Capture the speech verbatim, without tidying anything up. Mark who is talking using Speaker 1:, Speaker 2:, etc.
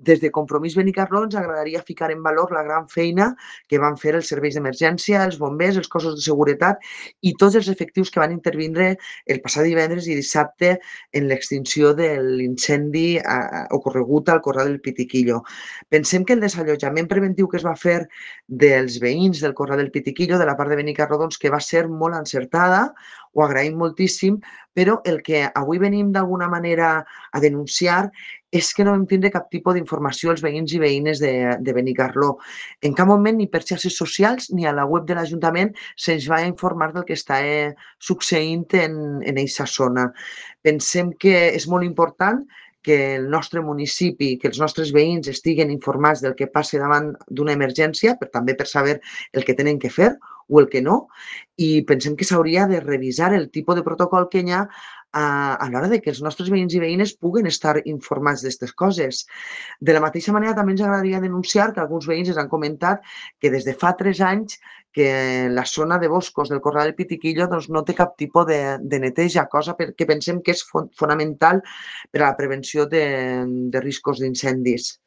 Speaker 1: Des de Compromís Benicarló ens agradaria ficar en valor la gran feina que van fer els serveis d'emergència, els bombers, els cossos de seguretat i tots els efectius que van intervindre el passat divendres i dissabte en l'extinció de l'incendi eh, ocorregut al Corral del Pitiquillo. Pensem que el desallotjament preventiu que es va fer dels veïns del Corral del Pitiquillo, de la part de Benicarló, doncs, que va ser molt encertada, ho agraïm moltíssim, però el que avui venim d'alguna manera a denunciar és que no vam tindre cap tipus d'informació als veïns i veïnes de, de Benicarló. En cap moment, ni per xarxes socials ni a la web de l'Ajuntament, se'ns va informar del que està eh, succeint en, en eixa zona. Pensem que és molt important que el nostre municipi, que els nostres veïns estiguen informats del que passa davant d'una emergència, per també per saber el que tenen que fer o el que no, i pensem que s'hauria de revisar el tipus de protocol que hi ha a, a l'hora de que els nostres veïns i veïnes puguen estar informats d'aquestes coses. De la mateixa manera, també ens agradaria denunciar que alguns veïns ens han comentat que des de fa tres anys que la zona de boscos del Corral del Pitiquillo doncs, no té cap tipus de, de neteja, cosa que pensem que és fon fonamental per a la prevenció de, de riscos d'incendis.